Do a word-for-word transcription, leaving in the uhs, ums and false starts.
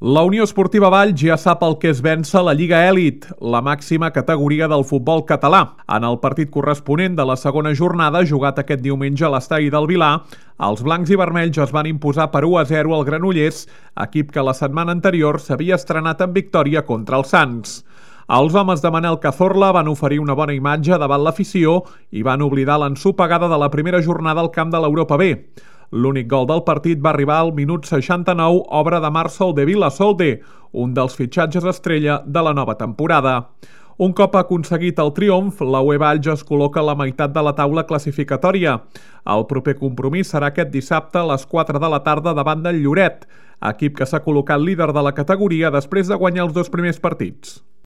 La Unió Esportiva Valls ja sap el que és vèncer la Lliga Èlit, la màxima categoria del futbol català. En el partit corresponent de la segona jornada, jugat aquest diumenge a l'estadi del Vilar, els blancs i vermells es van imposar per u a zero al Granollers, equip que la setmana anterior s'havia estrenat en victòria contra el Sants. Els homes de Manel Cazorla van oferir una bona imatge davant l'afició i van oblidar l'ensopegada de la primera jornada al camp de l'Europa B. L'únic gol del partit va arribar al minut seixanta-nou, obra de Marcel de Vilasolde, un dels fitxatges estrella de la nova temporada. Un cop aconseguit el triomf, la U E Valls es col·loca a la meitat de la taula classificatòria. El proper compromís serà aquest dissabte a les quatre de la tarda davant del Lloret, equip que s'ha col·locat líder de la categoria després de guanyar els dos primers partits.